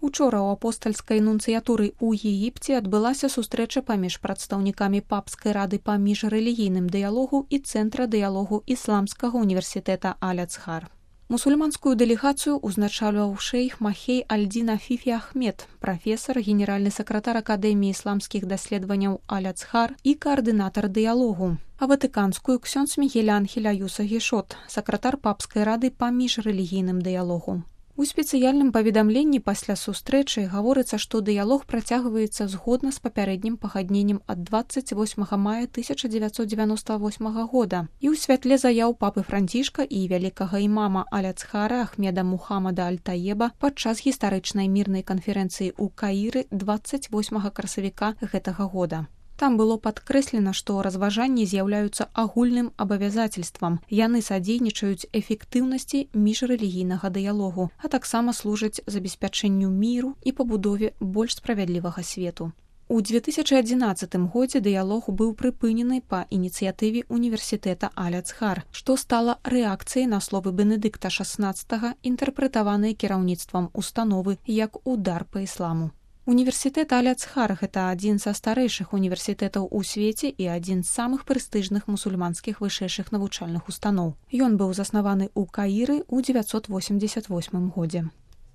Учора ў апостальскай нунцыятуры ў Егіпце адбылася сустрэча паміж прадстаўнікамі папскай рады па міжрэлігійным дыялогу і цэнтра дыялогу ісламскага універсітэта Аль-Ацхар. Мусульманскую дэлегацыю узначальваў шэйх Махей Аль-Дин Афіфі Ахмед, прафесар, генеральны сакратар Акадэміі ісламскіх даследаванняў Аль-Ацхар і каардынатар дыялогу. А ватыканскую ксёндз Мігель Анхель Аюса Гішот, сакратар папскай рады па міжрэлігійным дыялогу. У спецыяльным паведамленні пасля сустрэчы гаворыцца, што дыялог працягваецца згодна з папярэднім пагадненнем ад 28 мая 1998 года і ў святле заяў папы Францішка і вялікага імама Аль-Ацхара Ахмеда Мухаммада Аль-Таеба падчас гістарычнай мірнай канферэнцыі ў Каіры 28 красавіка гэтага года. Там было падкрэслена, што разважанні з'яўляюцца агульным абавязацельствам. Яны садзейнічаюць эфектыўнасці міжрэлігійнага дыялогу, а таксама служаць забеспячэнню міру і пабудове больш справядлівага свету. У 2011 годзе дыялог быў прыпынены па ініцыятыве універсітэта Аль-Ацхар, што стала рэакцыяй на словы Бенедыкта XVI, інтэрпрэтаваныя кіраўніцтвам установы як удар па ісламу. Універсітэт Аль-Ацхар – гэта адзін са старэйшых універсітэтаў у свеце і адзін з самых прэстыжных мусульманскіх вышэйшых навучальных устаноў. Ён быў заснаваны ў Каіры ў 988 годзе.